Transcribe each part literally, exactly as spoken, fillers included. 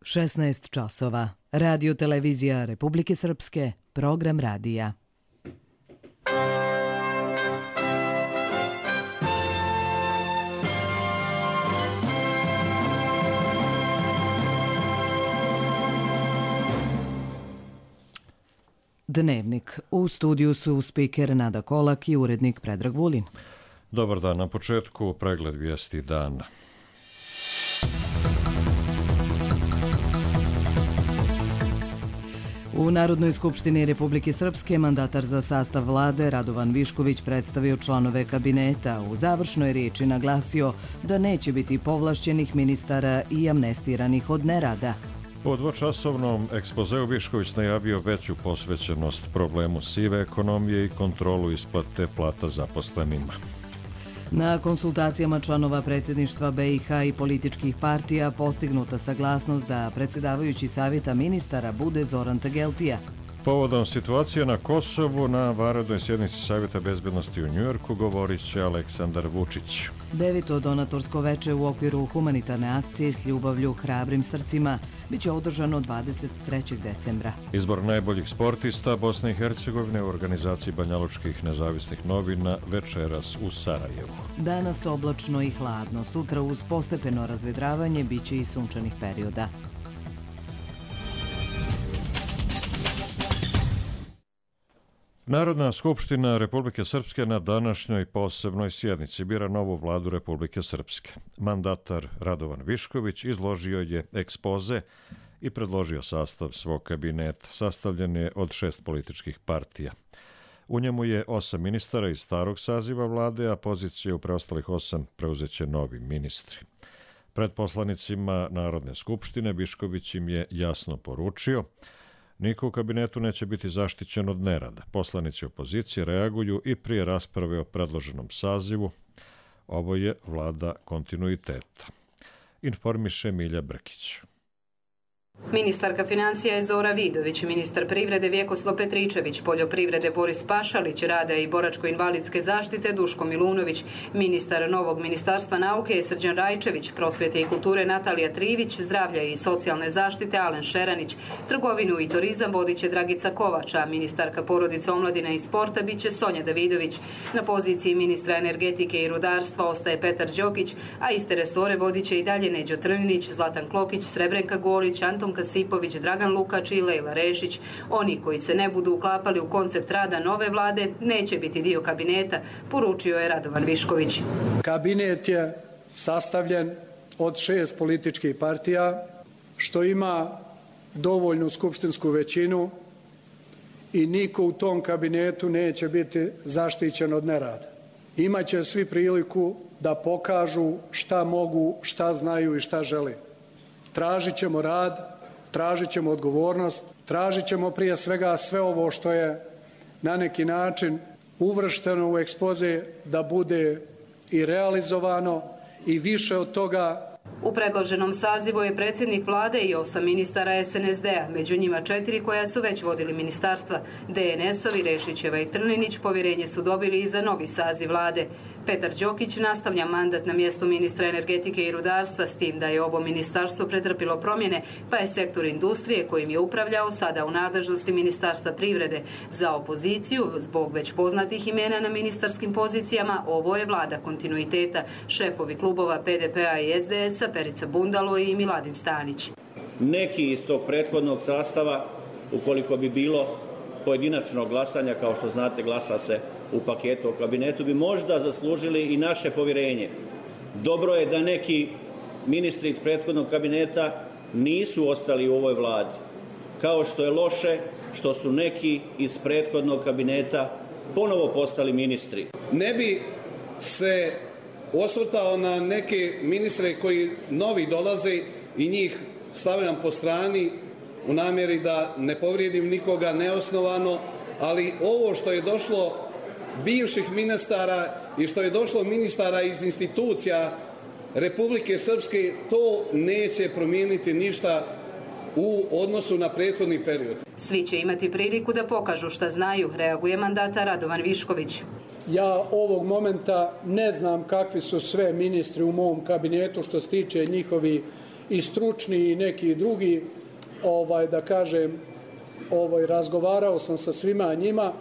šesnaest časova. Radio televizija Republike Srpske, program radija. Dnevnik. U studiju su spiker Nada Kolak i urednik Predrag Vulin. Dobar dan. Na početku pregled vijesti dana. U Narodnoj skupštini Republike Srpske mandatar za sastav vlade Radovan Višković predstavio članove kabineta. U završnoj riječi naglasio da neće biti povlašćenih ministara i amnestiranih od nerada. U dvočasovnom ekspozeu Višković najavio veću posvećenost problemu sive ekonomije i kontrolu isplate plata zaposlenima. Na konsultacijama članova predsjedništva B i H i političkih partija postignuta saglasnost da predsjedavajući savjeta ministara bude Zoran Tageltija. Povodom situacije na Kosovu na vanrednoj sjednici Savjeta bezbednosti u Njujorku govorit će Aleksandar Vučić. Deveto donatorsko veče u okviru humanitarne akcije s ljubavlju hrabrim srcima biće održano dvadeset trećeg decembra. Izbor najboljih sportista Bosne i Hercegovine u organizaciji Banjalučkih nezavisnih novina večeras u Sarajevu. Danas oblačno i hladno, sutra uz postepeno razvedravanje biće i sunčanih perioda. Narodna skupština Republike Srpske na današnjoj posebnoj sjednici bira novu vladu Republike Srpske. Mandatar Radovan Višković izložio je ekspoze i predložio sastav svog kabineta. Sastavljen je od šest političkih partija. U njemu je osam ministara iz starog saziva vlade, a pozicije u preostalih osam preuzeće novi ministri. Pred poslanicima Narodne skupštine Višković im je jasno poručio: niko u kabinetu neće biti zaštićen od nerada. Poslanici opozicije reaguju i prije rasprave o predloženom sazivu. Ovo je vlada kontinuiteta. Informiše Milja Brkić. Ministarka financija je Zora Vidović, ministar privrede Vjekoslav Petričević, poljoprivrede Boris Pašalić, rada i boračko-invalidske zaštite Duško Milunović, ministar novog ministarstva nauke je Srđan Rajčević, prosvjete i kulture Natalija Trivić, zdravlja i socijalne zaštite Alen Šeranić, trgovinu i turizam vodit će Dragica Kovača, ministarka porodice, omladine i sporta bit će Sonja Davidović. Na poziciji ministra energetike i rudarstva ostaje Petar Đokić, a iste resore vodit će i dalje Neđo Trninić, Zlatan Klokić, Srebrenka Golić, Anton Kasipović, Dragan Lukač i Lejla Rešić. Oni koji se ne budu uklapali u koncept rada nove vlade neće biti dio kabineta, poručio je Radovan Višković. Kabinet je sastavljen od šest političkih partija, što ima dovoljnu skupštinsku većinu i niko u tom kabinetu neće biti zaštićen od nerada. Imaće svi priliku da pokažu šta mogu, šta znaju i šta žele. Tražit ćemo rad, tražit ćemo odgovornost, tražit ćemo prije svega sve ovo što je na neki način uvršteno u ekspoze da bude i realizovano i više od toga. U predloženom sazivu je predsjednik vlade i osam ministara S N S D-a, među njima četiri koja su već vodili ministarstva. D N S-ovi Rešićeva i Trninić povjerenje su dobili i za novi saziv vlade. Petar Đokić nastavlja mandat na mjestu ministra energetike i rudarstva, s tim da je ovo ministarstvo pretrpilo promjene, pa je sektor industrije kojim je upravljao sada u nadležnosti ministarstva privrede. Za opoziciju, zbog već poznatih imena na ministarskim pozicijama, ovo je vlada kontinuiteta. Šefovi klubova P D P-a i S D S-a Perica Bundalo i Miladin Stanić. Neki iz tog prethodnog sastava, ukoliko bi bilo pojedinačnog glasanja, kao što znate glasa se u paketu o kabinetu, bi možda zaslužili i naše povjerenje. Dobro je da neki ministri iz prethodnog kabineta nisu ostali u ovoj vladi, kao što je loše što su neki iz prethodnog kabineta ponovo postali ministri. Ne bi se osvrtao na neke ministre koji novi dolaze i njih stavljam po strani u namjeri da ne povrijedim nikoga neosnovano, ali ovo što je došlo bivših ministara i što je došlo ministara iz institucija Republike Srpske, to neće promijeniti ništa u odnosu na prethodni period. Svi će imati priliku da pokažu šta znaju, reaguje mandatar Radovan Višković. Ja ovog momenta ne znam kakvi su sve ministri u mom kabinetu što se tiče njihovi i stručni i neki drugi, ovaj, da kažem, ovaj, razgovarao sam sa svima njima,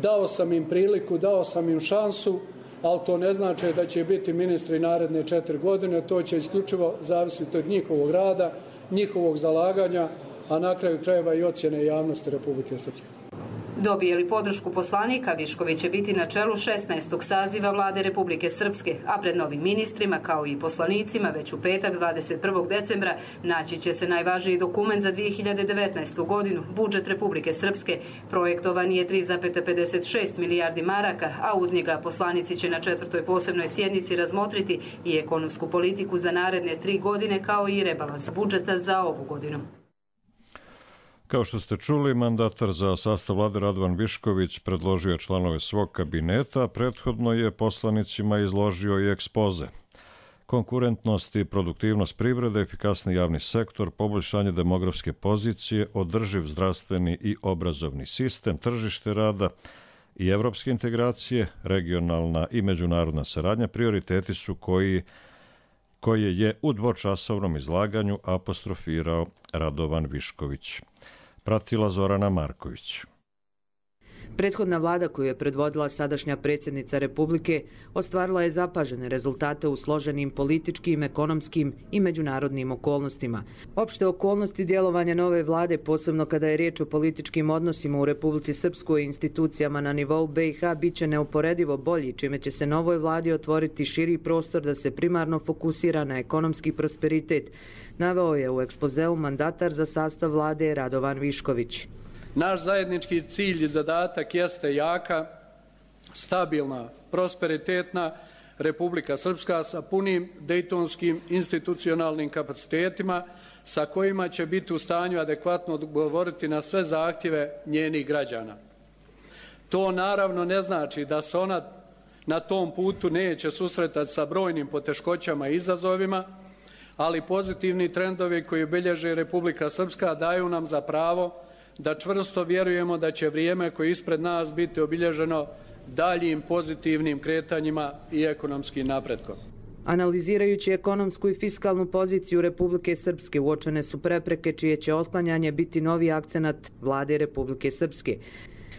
dao sam im priliku, dao sam im šansu, ali to ne znači da će biti ministri naredne četiri godine, to će isključivo zavisiti od njihovog rada, njihovog zalaganja, a na kraju krajeva i ocjene javnosti Republike Srpske. Dobije li podršku poslanika, Višković će biti na čelu šesnaestog saziva vlade Republike Srpske, a pred novim ministrima, kao i poslanicima, već u petak dvadeset prvog decembra naći će se najvažniji dokument za dvije hiljade devetnaestu godinu, budžet Republike Srpske. Projektovan je tri zarez pedeset šest milijardi maraka, a uz njega poslanici će na četvrtoj posebnoj sjednici razmotriti i ekonomsku politiku za naredne tri godine, kao i rebalans budžeta za ovu godinu. Kao što ste čuli, mandatar za sastav vlade Radovan Višković predložio je članove svog kabineta, a prethodno je poslanicima izložio i ekspoze. Konkurentnost i produktivnost privrede, efikasni javni sektor, poboljšanje demografske pozicije, održiv zdravstveni i obrazovni sistem, tržište rada i evropske integracije, regionalna i međunarodna saradnja prioriteti su koji koje je u dvočasovnom izlaganju apostrofirao Radovan Višković. Pratila Zorana Marković. Prethodna vlada koju je predvodila sadašnja predsjednica Republike ostvarila je zapažene rezultate u složenim političkim, ekonomskim i međunarodnim okolnostima. Opšte okolnosti djelovanja nove vlade, posebno kada je riječ o političkim odnosima u Republici Srpskoj i institucijama na nivou B i H, bit će neuporedivo bolji, čime će se novoj vladi otvoriti širi prostor da se primarno fokusira na ekonomski prosperitet, naveo je u ekspozeu mandatar za sastav vlade Radovan Višković. Naš zajednički cilj i zadatak jeste jaka, stabilna, prosperitetna Republika Srpska sa punim dejtonskim institucionalnim kapacitetima sa kojima će biti u stanju adekvatno odgovoriti na sve zahtjeve njenih građana. To naravno ne znači da se ona na tom putu neće susretati sa brojnim poteškoćama i izazovima, ali pozitivni trendovi koji bilježi Republika Srpska daju nam za pravo da čvrsto vjerujemo da će vrijeme koje je ispred nas biti obilježeno daljim pozitivnim kretanjima i ekonomskim napretkom. Analizirajući ekonomsku i fiskalnu poziciju Republike Srpske, uočene su prepreke čije će otklanjanje biti novi akcenat vlade Republike Srpske.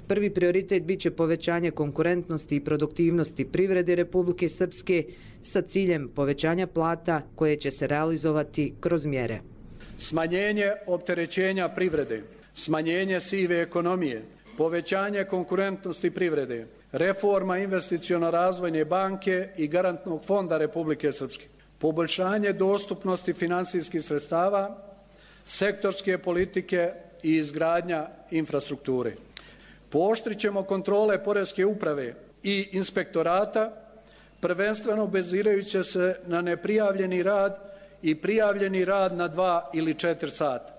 Prvi prioritet biće povećanje konkurentnosti i produktivnosti privrede Republike Srpske sa ciljem povećanja plata koje će se realizovati kroz mjere. Smanjenje opterećenja privrede, smanjenje sive ekonomije, povećanje konkurentnosti privrede, reforma investiciono-razvojne banke i garantnog fonda Republike Srpske, poboljšanje dostupnosti finansijskih sredstava, sektorske politike i izgradnja infrastrukture. Pooštrit ćemo kontrole poreske uprave i inspektorata, prvenstveno bazirajući se na neprijavljeni rad i prijavljeni rad na dva ili četiri sata.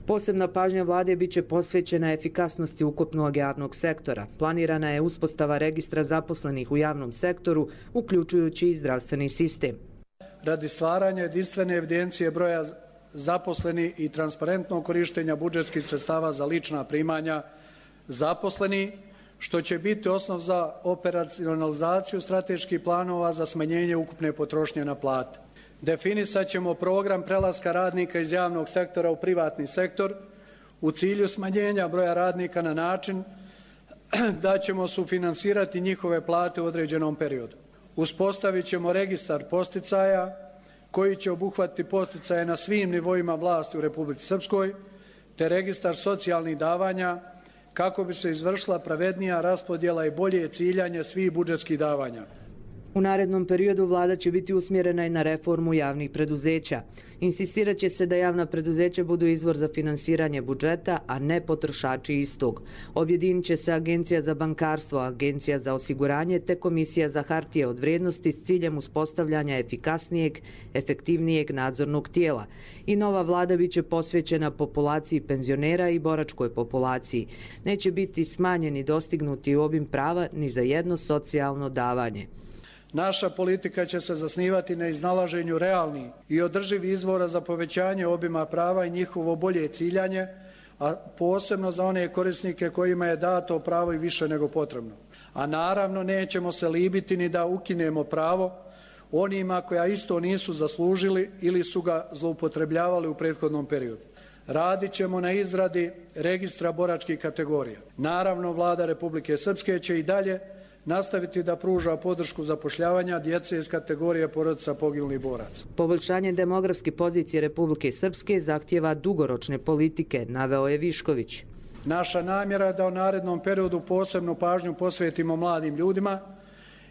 Posebna pažnja vlade biće posvećena efikasnosti ukupnog javnog sektora. Planirana je uspostava registra zaposlenih u javnom sektoru, uključujući i zdravstveni sistem. Radi stvaranja jedinstvene evidencije broja zaposlenih i transparentnog korištenja budžetskih sredstava za lična primanja zaposleni, što će biti osnov za operacionalizaciju strateških planova za smanjenje ukupne potrošnje na plate. Definisat ćemo program prelaska radnika iz javnog sektora u privatni sektor u cilju smanjenja broja radnika na način da ćemo sufinansirati njihove plate u određenom periodu. Uspostavit ćemo registar posticaja koji će obuhvatiti posticaje na svim nivoima vlasti u Republici Srpskoj, te registar socijalnih davanja kako bi se izvršila pravednija raspodjela i bolje ciljanje svih budžetskih davanja. U narednom periodu vlada će biti usmjerena i na reformu javnih preduzeća. Insistirat će se da javna preduzeća budu izvor za finansiranje budžeta, a ne potrošači istog. Objedinit će se Agencija za bankarstvo, Agencija za osiguranje te Komisija za hartije od vrijednosti s ciljem uspostavljanja efikasnijeg, efektivnijeg nadzornog tijela. I nova vlada biće posvećena populaciji penzionera i boračkoj populaciji. Neće biti smanjeni dostignuti obim prava ni za jedno socijalno davanje. Naša politika će se zasnivati na iznalaženju realnih i održivih izvora za povećanje obima prava i njihovo bolje ciljanje, a posebno za one korisnike kojima je dato pravo i više nego potrebno. A naravno nećemo se libiti ni da ukinemo pravo onima koja isto nisu zaslužili ili su ga zloupotrebljavali u prethodnom periodu. Radit ćemo na izradi registra boračkih kategorija. Naravno, Vlada Republike Srpske će i dalje nastaviti da pruža podršku zapošljavanja djece iz kategorije porodica poginulih boraca. Poboljšanje demografske pozicije Republike Srpske zahtjeva dugoročne politike, naveo je Višković. Naša namjera je da u narednom periodu posebnu pažnju posvetimo mladim ljudima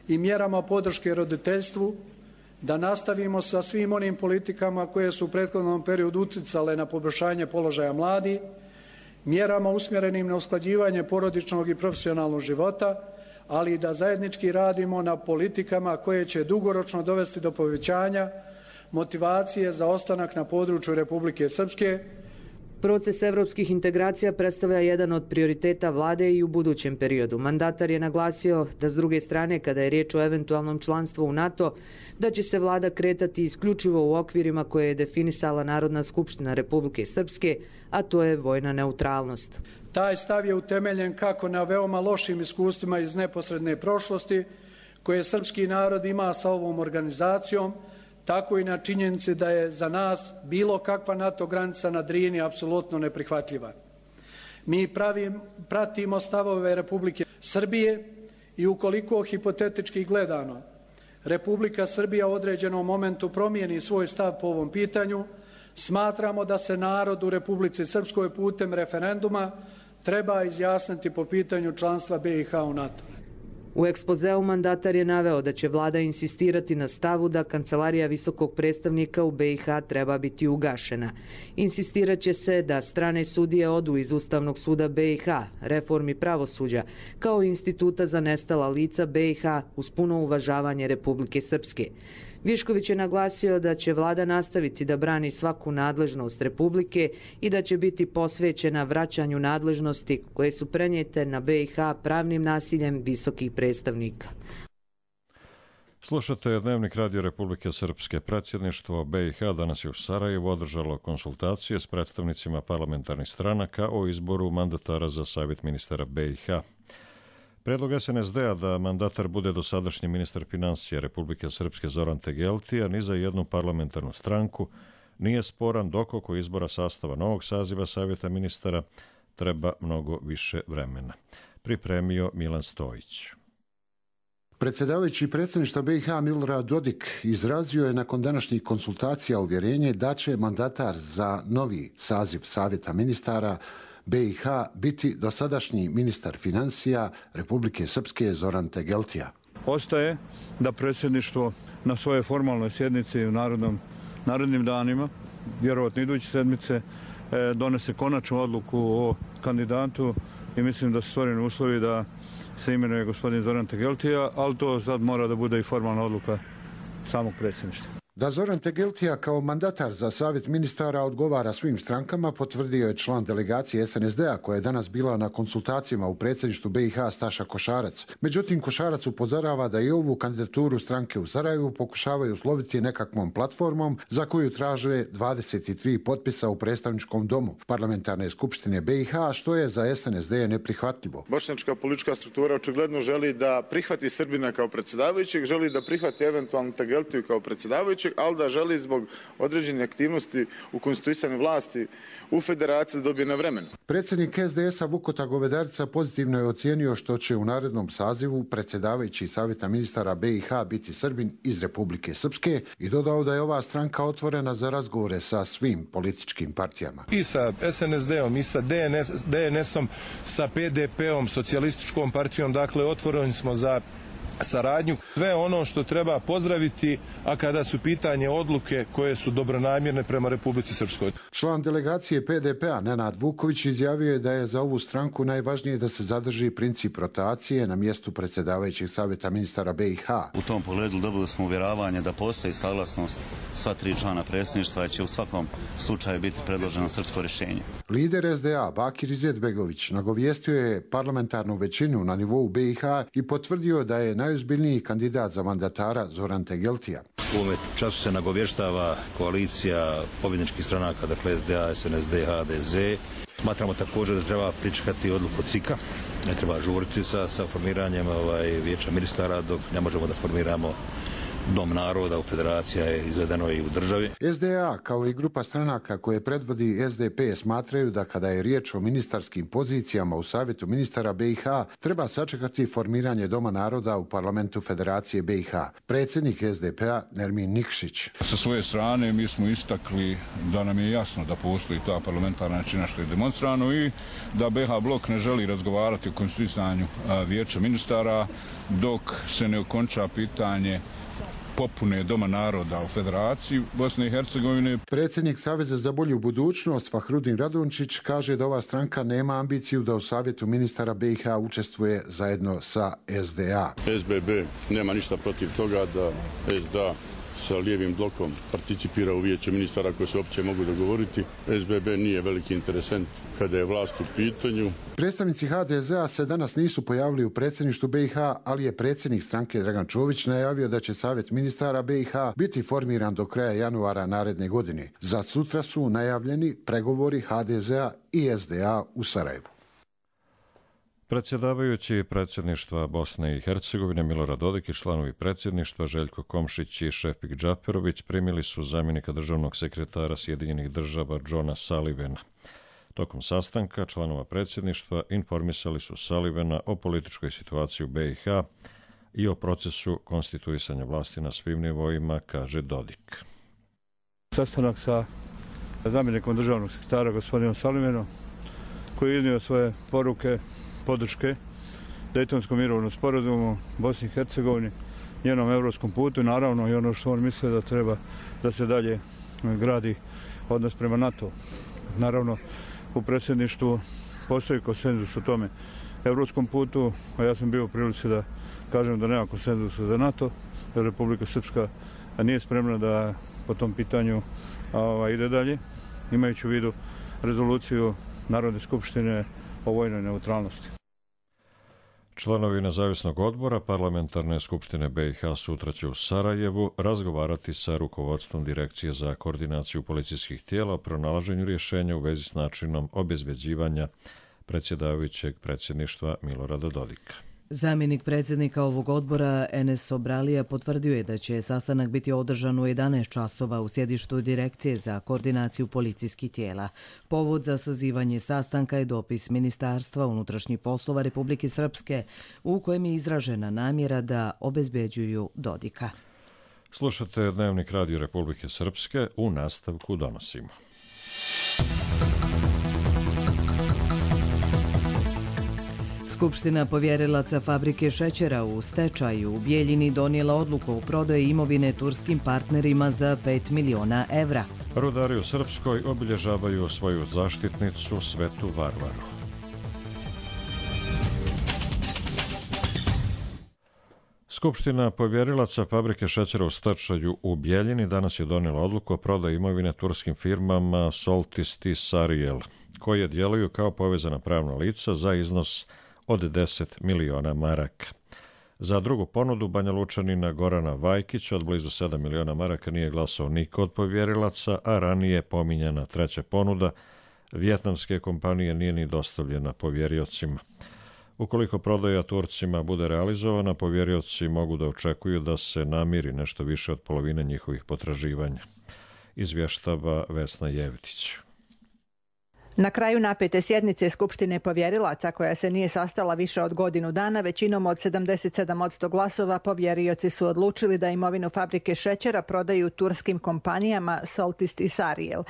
i mjerama podrške roditeljstvu, da nastavimo sa svim onim politikama koje su u prethodnom periodu uticale na poboljšanje položaja mladih, mjerama usmjerenim na usklađivanje porodičnog i profesionalnog života, ali i da zajednički radimo na politikama koje će dugoročno dovesti do povećanja motivacije za ostanak na području Republike Srpske. Proces evropskih integracija predstavlja jedan od prioriteta vlade i u budućem periodu. Mandatar je naglasio da s druge strane, kada je riječ o eventualnom članstvu u NATO, da će se vlada kretati isključivo u okvirima koje je definisala Narodna skupština Republike Srpske, a to je vojna neutralnost. Taj stav je utemeljen kako na veoma lošim iskustvima iz neposredne prošlosti koje srpski narod ima sa ovom organizacijom, tako i na činjenici da je za nas bilo kakva NATO granica na Drini apsolutno neprihvatljiva. Mi pravim, pratimo stavove Republike Srbije i ukoliko hipotetički gledano Republika Srbija u određenom momentu promijeni svoj stav po ovom pitanju, smatramo da se narod u Republici Srpskoj putem referenduma treba izjasniti po pitanju članstva B i H u NATO. U ekspozeu mandatar je naveo da će vlada insistirati na stavu da Kancelarija visokog predstavnika u B i H treba biti ugašena. Insistirat će se da strane sudije odu iz Ustavnog suda B i H, reformi pravosuđa, kao i Instituta za nestala lica B i H uz puno uvažavanje Republike Srpske. Višković je naglasio da će vlada nastaviti da brani svaku nadležnost Republike i da će biti posvećena vraćanju nadležnosti koje su prenijete na B i H pravnim nasiljem visokih predstavnika. Slušate Dnevnik Radio Republike Srpske. Predsjedništvo B i H danas je u Sarajevu održalo konsultacije s predstavnicima parlamentarnih stranaka o izboru mandatara za Savjet ministara B i H. Predlog S N S D-a da mandatar bude dosadašnji ministar financija Republike Srpske Zoran Tegeltija ni za jednu parlamentarnu stranku nije sporan dok oko izbora sastava novog saziva Savjeta ministara treba mnogo više vremena. Pripremio Milan Stojić. Predsjedavajući predsjedništva B i H Milorad Dodik izrazio je nakon današnjih konsultacija uvjerenje da će mandatar za novi saziv Savjeta ministara B i H biti dosadašnji ministar financija Republike Srpske Zoran Tegeltija. Ostaje da predsjedništvo na svojoj formalnoj sjednici u narodnom, narodnim danima, vjerovatno iduće sedmice, donese konačnu odluku o kandidatu i mislim da su stvoreni uslovi da se imenuje gospodin Zoran Tegeltija, ali to sad mora da bude i formalna odluka samog predsjedništva. Da Zoran Tegeltija kao mandatar za Savjet ministara odgovara svim strankama potvrdio je član delegacije S N S D-a koja je danas bila na konsultacijama u predsjedništvu B i H Staša Košarac. Međutim, Košarac upozorava da i ovu kandidaturu stranke u Sarajevu pokušavaju usloviti nekakvom platformom za koju traže dvadeset tri potpisa u predstavničkom domu Parlamentarne skupštine B i H, što je za S N S D neprihvatljivo. Bošnjačka politička struktura očigledno želi da prihvati Srbina kao predsjedavajućeg, želi da prihvati eventualno Tegeltiju kao predsjedavajućeg, ali da želi zbog određene aktivnosti u konstituisanju vlasti u federaciji da dobije na vremenu. Predsjednik S D S-a Vukota Govedarica pozitivno je ocijenio što će u narednom sazivu predsjedavajući Savjeta ministara B i H biti Srbin iz Republike Srpske i dodao da je ova stranka otvorena za razgovore sa svim političkim partijama. I sa S N S D-om, i sa D N S-om, sa P D P-om, socijalističkom partijom, dakle otvoreni smo za saradnju. Sve ono što treba pozdraviti, a kada su pitanje odluke koje su dobronamjerne prema Republici Srpskoj. Član delegacije P D P-a Nenad Vuković izjavio je da je za ovu stranku najvažnije da se zadrži princip rotacije na mjestu predsjedavajućeg Savjeta ministara B i H. U tom pogledu dobili smo uvjeravanje da postoji saglasnost sva tri člana predsjedništva i će u svakom slučaju biti predloženo srpsko rješenje. Lider S D A Bakir Izetbegović nagovijestio je parlamentarnu većinu na nivou B i H i potvrdio da je najozbiljniji kandidat za mandatara Zoran Tegeltija. U ovome času se nagovještava koalicija pobjedničkih stranaka, dakle S D A, S N S D, H D Z. Smatramo također da treba pričekati odluku C I K-a, ne treba žuriti sa, sa formiranjem ovaj, vijeća ministara dok ne možemo da formiramo Dom naroda u federaciji je izvedeno i u državi. S D A kao i grupa stranaka koje predvodi S D P smatraju da kada je riječ o ministarskim pozicijama u Savjetu ministara B i H treba sačekati formiranje Doma naroda u parlamentu Federacije B i H. Predsjednik S D P-a Nermin Nikšić. Sa svoje strane mi smo istakli da nam je jasno da postoji ta parlamentarna većina što je demonstrano i da B i H blok ne želi razgovarati o konstituisanju vijeća ministara dok se ne okonča pitanje popune Doma naroda u Federaciji Bosne i Hercegovine. Predsjednik Saveza za bolju budućnost Fahrudin Radončić kaže da ova stranka nema ambiciju da u Savjetu ministara B i H učestvuje zajedno sa S D A. S B B nema ništa protiv toga da S D A sa lijevim blokom participira u vijeće ministara koji se uopće mogu dogovoriti. S B B nije veliki interesent kada je vlast u pitanju. Predstavnici H D Z-a se danas nisu pojavili u predsjedništvu B i H, ali je predsjednik stranke Dragan Čović najavio da će Savjet ministara B i H biti formiran do kraja januara naredne godine. Za sutra su najavljeni pregovori H D Z-a i S D A u Sarajevu. Predsjedavajući predsjedništva Bosne i Hercegovine Milorad Dodik i članovi predsjedništva Željko Komšić i Šefik Džaperović primili su zamjenika državnog sekretara Sjedinjenih država Johna Sullivana. Tokom sastanka članova predsjedništva informisali su Sullivana o političkoj situaciji u B i H i o procesu konstituisanja vlasti na svim nivoima, kaže Dodik. Sastanak sa zamjenikom državnog sekretara gospodinom Sullivanom koji je iznio svoje poruke podrške Dejtonskom mirovnom sporazumu Bosni i Hercegovini, njenom evropskom putu, naravno i ono što on misle da treba da se dalje gradi odnos prema NATO. Naravno, u predsjedništvu postoji konsenzus o tome evropskom putu, a ja sam bio u prilici da kažem da nema konsenzusa za NATO, da Republika Srpska nije spremna da po tom pitanju a, ide dalje, imajući u vidu rezoluciju Narodne skupštine o vojnoj neutralnosti. Članovi nezavisnog odbora Parlamentarne skupštine B i H sutra će u Sarajevu razgovarati sa rukovodstvom Direkcije za koordinaciju policijskih tijela o pronalaženju rješenja u vezi s načinom obezbeđivanja predsjedavajućeg predsjedništva Milorada Dodika. Zamjenik predsjednika ovog odbora Enes Obralija potvrdio je da će sastanak biti održan u jedanaest časova u sjedištu Direkcije za koordinaciju policijskih tijela. Povod za sazivanje sastanka je dopis Ministarstva unutrašnjih poslova Republike Srpske u kojem je izražena namjera da obezbeđuju Dodika. Slušate Dnevnik Radio Republike Srpske, u nastavku donosimo. Skupština povjerilaca fabrike šećera u stečaju u Bijeljini donijela odluku o prodaji imovine turskim partnerima za pet miliona evra. Rudari u Srpskoj obilježavaju svoju zaštitnicu Svetu Varvaru. Skupština povjerilaca fabrike šećera u stečaju u Bijeljini danas je donijela odluku o prodaji imovine turskim firmama Soltist i Sarijel, koje djeluju kao povezana pravna lica za iznos od deset miliona maraka. Za drugu ponudu Banja Lučanina Gorana Vajkića od blizu sedam miliona maraka nije glasao niko od povjerilaca, a ranije pominjana treća ponuda vijetnamske kompanije nije ni dostavljena povjeriocima. Ukoliko prodaja Turcima bude realizovana, povjerioci mogu da očekuju da se namiri nešto više od polovine njihovih potraživanja, izvještava Vesna Jevtić. Na kraju napete sjednice Skupštine povjerilaca, koja se nije sastala više od godinu dana, većinom od sedamdeset sedam posto glasova povjerioci su odlučili da imovinu fabrike šećera prodaju turskim kompanijama Soltist i Sarijel.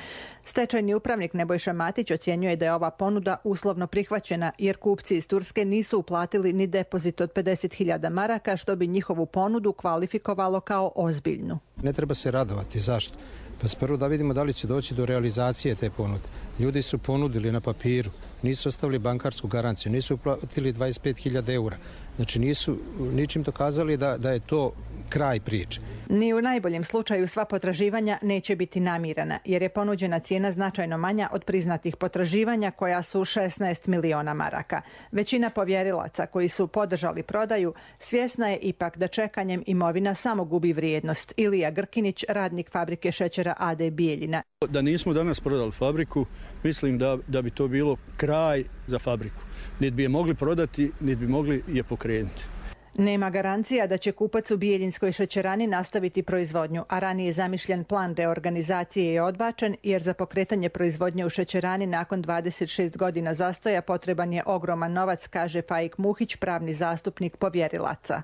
Stečajni upravnik Nebojša Matić ocjenjuje da je ova ponuda uslovno prihvaćena jer kupci iz Turske nisu uplatili ni depozit od pedeset hiljada maraka, što bi njihovu ponudu kvalifikovalo kao ozbiljnu. Ne treba se radovati. Zašto? Pa prvo da vidimo da li će doći do realizacije te ponude. Ljudi su ponudili na papiru, nisu ostavili bankarsku garanciju, nisu uplatili dvadeset pet hiljada eura. Znači nisu ničim dokazali da, da je to kraj priče. Ni u najboljem slučaju sva potraživanja neće biti namirana, jer je ponuđena cijena značajno manja od priznatih potraživanja koja su šesnaest miliona maraka. Većina povjerilaca koji su podržali prodaju svjesna je ipak da čekanjem imovina samo gubi vrijednost. Ilija Grkinić, radnik fabrike šećera A D Bijeljina. Da nismo danas prodali fabriku, mislim da, da bi to bilo kraj za fabriku. Niti bi je mogli prodati, niti bi mogli je pokrenuti. Nema garancija da će kupac u Bijeljinskoj šećerani nastaviti proizvodnju, a ranije zamišljen plan reorganizacije je odbačen jer za pokretanje proizvodnje u šećerani nakon dvadeset šest godina zastoja potreban je ogroman novac, kaže Faik Muhić, pravni zastupnik povjerilaca.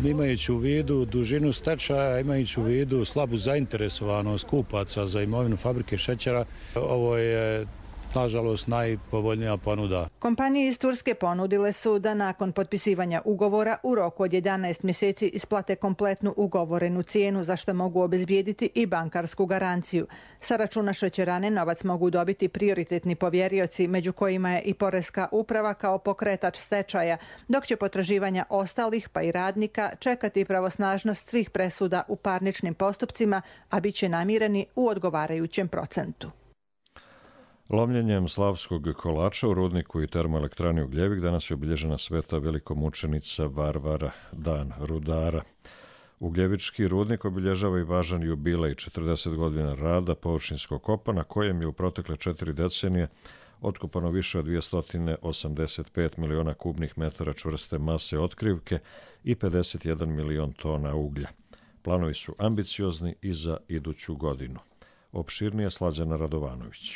Imajući u vidu dužinu stečaja, imajući u vidu slabu zainteresovanost kupaca za imovinu fabrike šećera, ovo je nažalost najpovoljnija ponuda. Kompanije iz Turske ponudile su da nakon potpisivanja ugovora u roku od jedanaest mjeseci isplate kompletnu ugovorenu cijenu, za što mogu obezbijediti i bankarsku garanciju. Sa računa šećerane novac mogu dobiti prioritetni povjerioci, među kojima je i Poreska uprava kao pokretač stečaja, dok će potraživanja ostalih pa i radnika čekati pravosnažnost svih presuda u parničnim postupcima, a bit će namireni u odgovarajućem procentu. Lomljenjem slavskog kolača u rudniku i termoelektrani Ugljevik danas je obilježena sveta velikomučenica Varvara, dan rudara. Ugljevički rudnik obilježava i važan jubilej četrdeset godina rada površinskog kopa, na kojem je u protekle četiri decenije otkopano više od dvjesto osamdeset pet miliona kubnih metara čvrste mase otkrivke i pedeset jedan milion tona uglja. Planovi su ambiciozni i za iduću godinu. Opširnije Slađana Radovanović.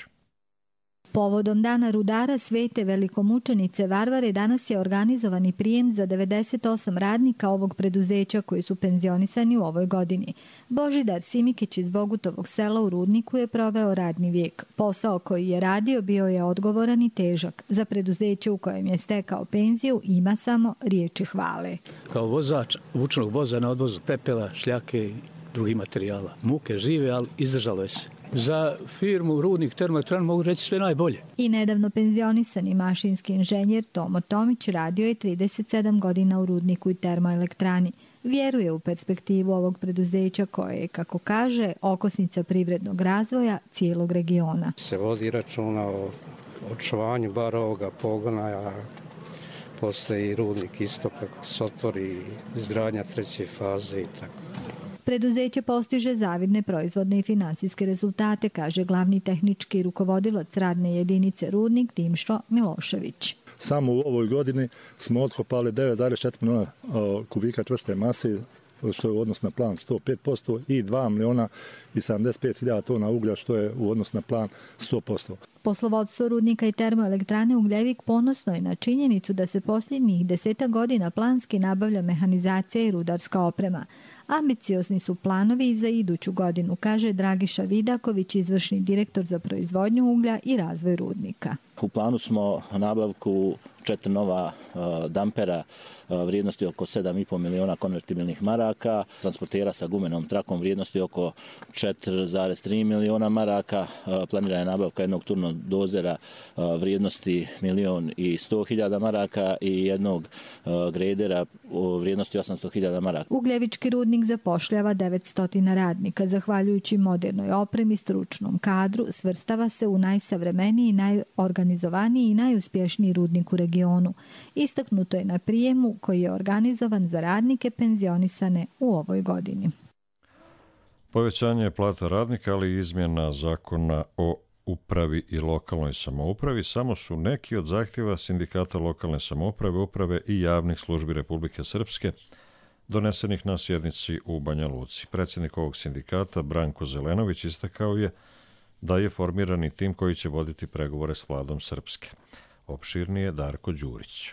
Povodom dana rudara svete velikomučenice Varvare danas je organizovani prijem za devedeset osam radnika ovog preduzeća koji su penzionisani u ovoj godini. Božidar Simikić iz Bogutovog sela u Rudniku je proveo radni vijek. Posao koji je radio bio je odgovoran i težak. Za preduzeće u kojem je stekao penziju ima samo riječi hvale. Kao vozač vučnog voza na odvozu pepela, šljake i drugih materijala. Muke žive, ali izdržalo je se. Za firmu Rudnik termoelektran mogu reći sve najbolje. I nedavno penzionisani mašinski inženjer Tomo Tomić radio je trideset sedam godina u Rudniku i termoelektrani. Vjeruje u perspektivu ovog preduzeća koje je, kako kaže, okosnica privrednog razvoja cijelog regiona. Se vodi računa o očuvanju bar ovoga pogona, a poslije i Rudnik isto kako se otvori izgradnja treće faze i tako. Preduzeće postiže zavidne proizvodne i finansijske rezultate, kaže glavni tehnički rukovodilac radne jedinice Rudnik Dimšo Milošević. Samo u ovoj godini smo otkopali devet zarez četiri miliona kubika čvrste mase, što je u odnosu na plan sto pet posto, i dva miliona i sedamdeset pet hiljada tona uglja, što je u odnosu na plan sto posto. Poslovodstvo Rudnika i termoelektrane Ugljevik ponosno je na činjenicu da se posljednjih deseta godina planski nabavlja mehanizacija i rudarska oprema. Ambiciozni su planovi i za iduću godinu, kaže Dragiša Vidaković, izvršni direktor za proizvodnju uglja i razvoj Rudnika. U planu smo nabavku četiri nova uh, dampera uh, vrijednosti oko sedam i pol miliona konvertibilnih maraka, transportera sa gumenom trakom vrijednosti oko četiri zarez tri miliona maraka, uh, planirana je nabavka jednog turnog dozera uh, vrijednosti milion i sto hiljada maraka i jednog uh, gredera u vrijednosti osamsto hiljada maraka. Ugljevički rudnik zapošljava devetsto radnika. Zahvaljujući modernoj opremi, stručnom kadru, svrstava se u najsavremeniji, najorganizovaniji i najuspješniji rudnik u regionu. Istaknuto je na prijemu koji je organizovan za radnike penzionisane u ovoj godini. Povećanje plata radnika, ali i izmjena zakona o upravi i lokalnoj samoupravi samo su neki od zahtjeva sindikata lokalne samouprave, uprave i javnih službi Republike Srpske donesenih na sjednici u Banja Luci. Predsjednik ovog sindikata Branko Zelenović istakao je da je formirani tim koji će voditi pregovore s vladom Srpske. Opširnije Darko Đurić.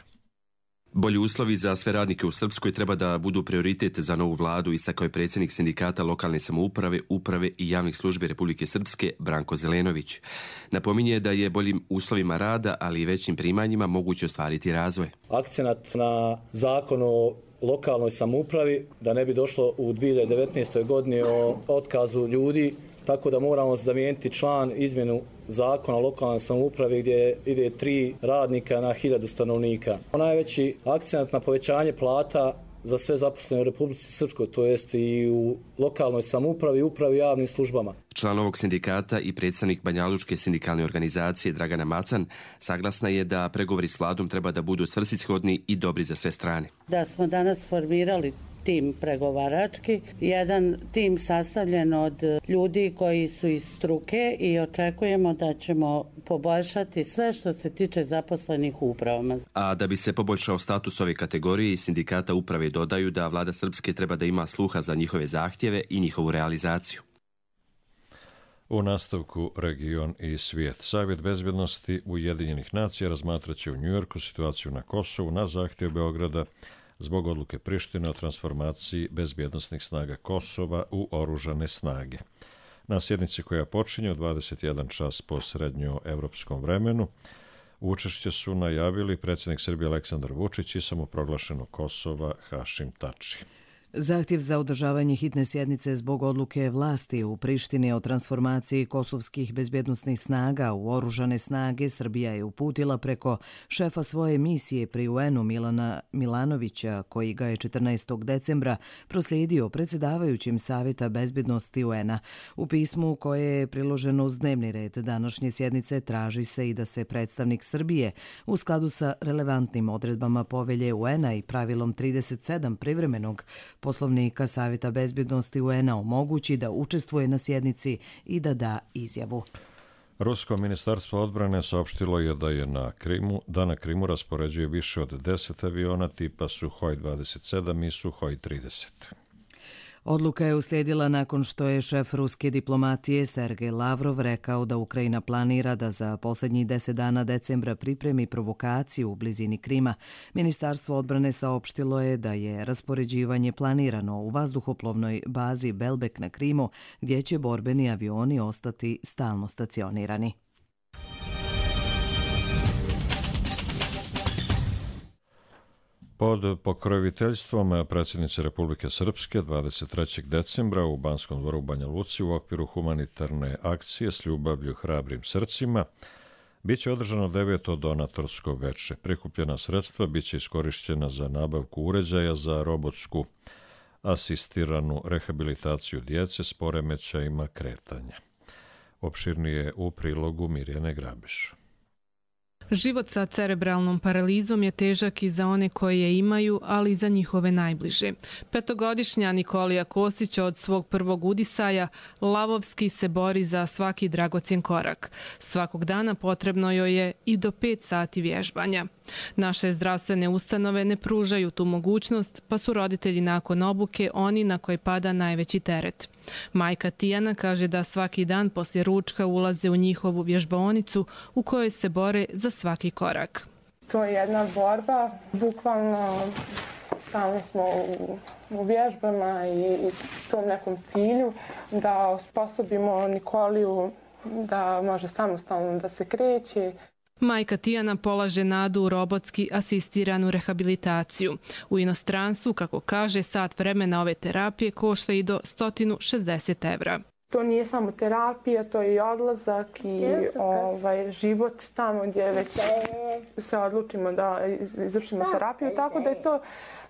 Bolji uslovi za sve radnike u Srpskoj treba da budu prioritet za novu vladu, istakao je predsjednik sindikata lokalne samouprave, uprave i javnih službi Republike Srpske Branko Zelenović. Napominje da je boljim uslovima rada, ali i većim primanjima moguće ostvariti razvoj. Akcenat na zakon o lokalnoj samoupravi, da ne bi došlo u dvije hiljade devetnaestoj godini o otkazu ljudi, tako da moramo zamijeniti član izmjenu zakona o lokalnoj samoupravi gdje ide tri radnika na hiljadu stanovnika. Najveći akcent na povećanje plata za sve zaposlene u Republici Srpskoj, to jest i u lokalnoj samoupravi i upravi javnim službama. Član ovog sindikata i predstavnik Banjalučke sindikalne organizacije Dragana Macan saglasna je da pregovori s vladom treba da budu svrsishodni i dobri za sve strane. Da smo danas formirali tim pregovarački, jedan tim sastavljen od ljudi koji su iz struke i očekujemo da ćemo poboljšati sve što se tiče zaposlenih u upravama. A da bi se poboljšao status ove kategorije, sindikata uprave dodaju da vlada Srpske treba da ima sluha za njihove zahtjeve i njihovu realizaciju. U nastavku region i svijet. Savjet bezbjednosti Ujedinjenih nacija razmatraće u Njujorku situaciju na Kosovu na zahtjev Beograda zbog odluke Prištine o transformaciji bezbjednosnih snaga Kosova u oružane snage. Na sjednici koja počinje u dvadeset jedan čas po srednjoevropskom vremenu učešće su najavili predsjednik Srbije Aleksandar Vučić i samoproglašenog Kosova Hašim Tači. Zahtjev za održavanje hitne sjednice zbog odluke vlasti u Prištini o transformaciji kosovskih bezbjednosnih snaga u oružane snage Srbija je uputila preko šefa svoje misije pri U N-u Milana Milanovića, koji ga je četrnaestog decembra proslijedio predsjedavajućim Savjeta bezbjednosti U N-a. U pismu koje je priloženo uz dnevni red današnje sjednice traži se i da se predstavnik Srbije u skladu sa relevantnim odredbama povelje U N-a i pravilom trideset sedam privremenog Poslovnika Savjeta bezbjednosti U N-a omogući da učestvuje na sjednici i da da izjavu. Rusko ministarstvo odbrane saopštilo je da je na Krimu, da na Krimu raspoređuje više od deset aviona tipa Suhoj dvadeset sedam i Suhoj trideset. Odluka je uslijedila nakon što je šef ruske diplomatije Sergej Lavrov rekao da Ukrajina planira da za posljednjih deset dana decembra pripremi provokaciju u blizini Krima. Ministarstvo odbrane saopštilo je da je raspoređivanje planirano u vazduhoplovnoj bazi Belbek na Krimu, gdje će borbeni avioni ostati stalno stacionirani. Pod pokroviteljstvom predsjednice Republike Srpske dvadeset trećeg decembra u Banskom dvoru u Banja Luci u okviru humanitarne akcije S ljubavlju hrabrim srcima biće održano deveto donatorsko veče. Prikupljena sredstva biće iskorišćena za nabavku uređaja za robotsku asistiranu rehabilitaciju djece s poremećajima kretanja. Opširnije u prilogu Mirjane Grabiš. Život sa cerebralnom paralizom je težak i za one koje je imaju, ali i za njihove najbliže. Petogodišnja Nikolija Kosić od svog prvog udisaja lavovski se bori za svaki dragocjen korak. Svakog dana potrebno joj je i do pet sati vježbanja. Naše zdravstvene ustanove ne pružaju tu mogućnost, pa su roditelji nakon obuke oni na koje pada najveći teret. Majka Tijana kaže da svaki dan poslije ručka ulaze u njihovu vježbaonicu u kojoj se bore za svaki korak. To je jedna borba, bukvalno stalno smo u, u vježbama i, i tom nekom cilju da osposobimo Nikoliju da može samostalno da se kreće. Majka Tijana polaže nadu u robotski asistiranu rehabilitaciju. U inostranstvu, kako kaže, sat vremena ove terapije košta i do sto šezdeset evra. To nije samo terapija, to je i odlazak i ovaj, život tamo gdje već se odlučimo da izvršimo terapiju. Tako da je to,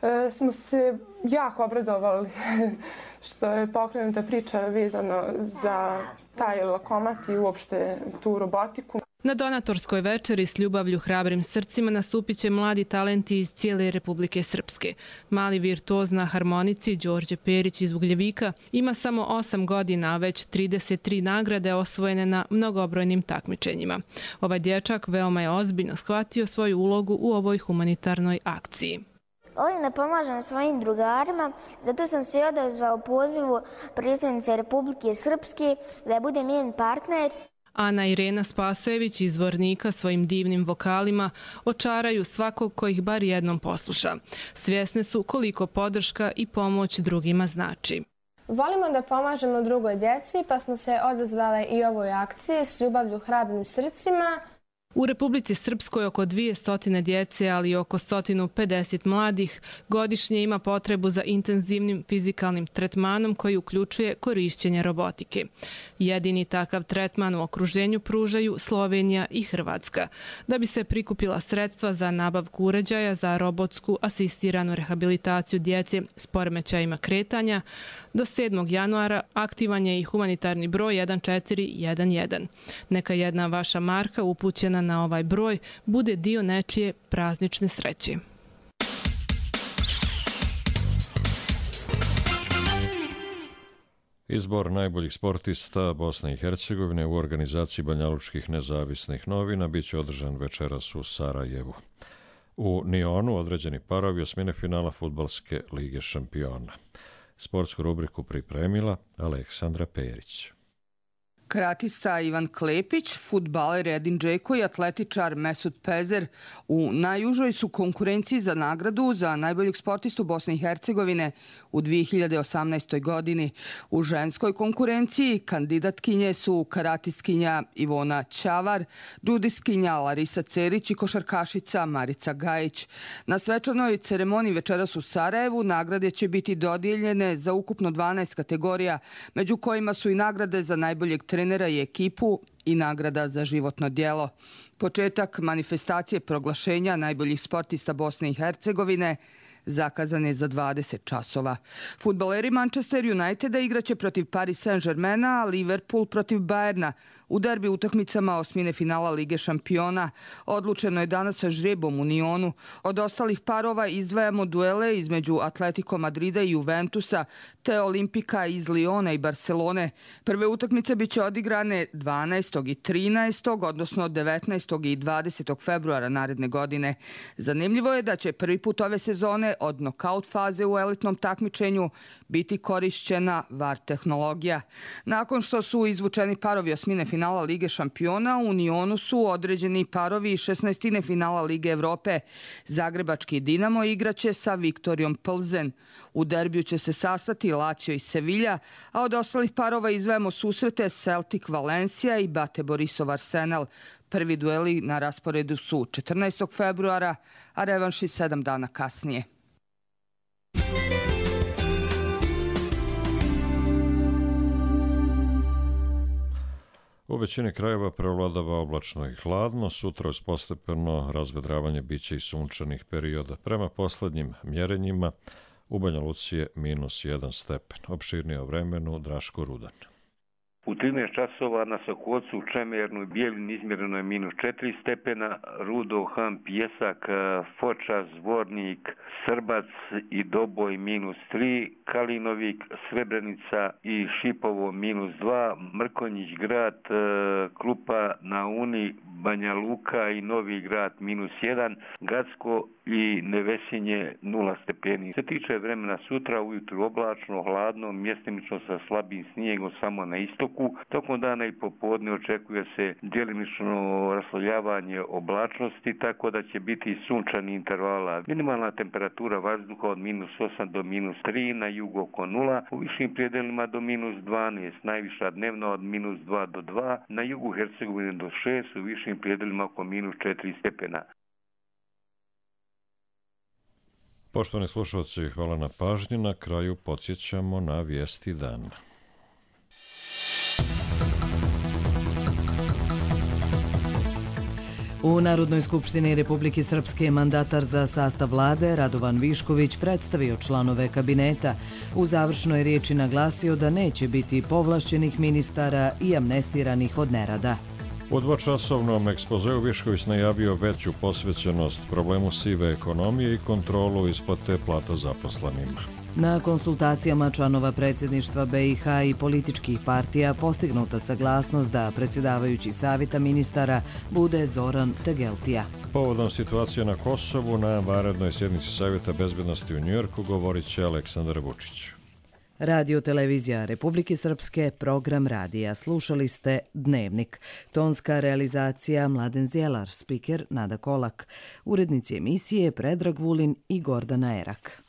e, smo se jako obradovali što je pokrenuta priča vezano za taj lokomat i uopšte tu robotiku. Na donatorskoj večeri S ljubavlju hrabrim srcima nastupit će mladi talenti iz cijele Republike Srpske. Mali virtuoz na harmonici Đorđe Perić iz Ugljevika ima samo osam godina, a već trideset tri nagrade osvojene na mnogobrojnim takmičenjima. Ovaj dječak veoma je ozbiljno shvatio svoju ulogu u ovoj humanitarnoj akciji. Ovdje pomažem svojim drugarima, zato sam se odazvao pozivu predsjednice Republike Srpske da budem njen partner. Ana Irena Spasojević iz Vornika svojim divnim vokalima očaraju svakog ko ih bar jednom posluša. Svjesne su koliko podrška i pomoć drugima znači. Volimo da pomažemo drugoj djeci, pa smo se odazvale i ovoj akciji S ljubavlju hrabrim srcima. U Republici Srpskoj oko dvjesto djece, ali i oko sto pedeset mladih godišnje ima potrebu za intenzivnim fizikalnim tretmanom koji uključuje korišćenje robotike. Jedini takav tretman u okruženju pružaju Slovenija i Hrvatska. Da bi se prikupila sredstva za nabavku uređaja za robotsku asistiranu rehabilitaciju djece s poremećajima kretanja, do sedmog januara aktivan je i humanitarni broj jedan četiri jedan jedan. Neka jedna vaša marka upućena na ovaj broj bude dio nečije praznične sreće. Izbor najboljih sportista Bosne i Hercegovine u organizaciji Banjalučkih nezavisnih novina bit će održan večeras u Sarajevu. U Nionu određeni parovi osmine finala Fudbalske lige šampiona. Sportsku rubriku pripremila Aleksandra Perić. Karatista Ivan Klepić, fudbaler Edin Džeko i atletičar Mesut Pezer u najužoj su konkurenciji za nagradu za najboljeg sportistu Bosne i Hercegovine u dvije hiljade osamnaestoj. godini. U ženskoj konkurenciji kandidatkinje su karatistkinja Ivona Ćavar, džudistkinja Larisa Cerić i košarkašica Marica Gajić. Na svečanoj ceremoniji večeras u Sarajevu nagrade će biti dodijeljene za ukupno dvanaest kategorija, među kojima su i nagrade za najboljeg trenera i ekipu i nagrada za životno djelo. Početak manifestacije proglašenja najboljih sportista Bosne i Hercegovine zakazan je za dvadeset časova. Fudbaleri Manchester Uniteda igraće protiv Paris Saint-Germaina, a Liverpool protiv Bayerna u derbi utakmicama osmine finala Lige šampiona. Odlučeno je danas sa žrebom u Nionu. Od ostalih parova izdvajamo duele između Atletico Madrida i Juventusa, te Olimpika iz Liona i Barcelone. Prve utakmice biće odigrane dvanaestog i trinaestog, odnosno devetnaestog i dvadesetog februara naredne godine. Zanimljivo je da će prvi put ove sezone od nokaut faze u elitnom takmičenju biti korišćena V A R tehnologija. Nakon što su izvučeni parovi osmine finala Lige šampiona, u Nionu su određeni parovi šesnaestine finala Lige Evrope. Zagrebački Dinamo igraće sa Viktorijom Plzen. U derbiju će se sastati Lazio i Sevilla, a od ostalih parova izdvajamo susrete Celtic Valencija i Bate Borisov Arsenal. Prvi dueli na rasporedu su četrnaestog februara, a revanši sedam dana kasnije. U većini krajeva prevladava oblačno i hladno, sutra uz postepeno razvedravanje biće i sunčanih perioda. Prema poslednjim mjerenjima u Banja Luci je minus jedan stepen. Opširnije o vremenu Draško Rudan. U trinaest časova na Sokocu, Čemernu i Bijeljini izmjereno je minus četiri stepena, Rudo, Han, Pjesak, Foča, Zvornik, Srbac i Doboj minus tri, Kalinovik, Srebrenica i Šipovo minus dva, Mrkonjić grad, Klupa na Uni, Banja Luka i Novi grad minus jedan, Gacko i Nevesinje nula stepeni. Se tiče vremena sutra, ujutru oblačno, hladno, mjestimično sa slabim snijegom samo na istoku. Tokom dana i popodne očekuje se djelimično raslovljavanje oblačnosti, tako da će biti sunčani intervala. Minimalna temperatura vazduha od minus osam do minus tri, na jugu oko nula, u višim predelima do minus dvanaest, najviša dnevna od minus dva do dva, na jugu Hercegovine do šest, u višim predelima oko minus četiri stepena. Poštovani slušalci, hvala na pažnji. Na kraju podsjećamo na vijesti dana. U Narodnoj skupštini Republike Srpske mandatar za sastav vlade Radovan Višković predstavio članove kabineta. U završnoj riječi naglasio da neće biti povlašćenih ministara i amnestiranih od nerada. U dvočasovnom ekspozeu Višković najavio veću posvećenost problemu sive ekonomije i kontrolu isplate plata zaposlenima. Na konsultacijama članova predsjedništva B i H i političkih partija postignuta saglasnost da predsjedavajući savjeta ministara bude Zoran Tegeltija. Povodom situacije na Kosovu na vanrednoj sjednici Savjeta bezbednosti u Njujorku govorit će Aleksandar Vučić. Radio televizija Republike Srpske, program radija. Slušali ste Dnevnik. Tonska realizacija Mladen Zjelar, spiker Nada Kolak. Urednici emisije Predrag Vulin i Gordana Erak.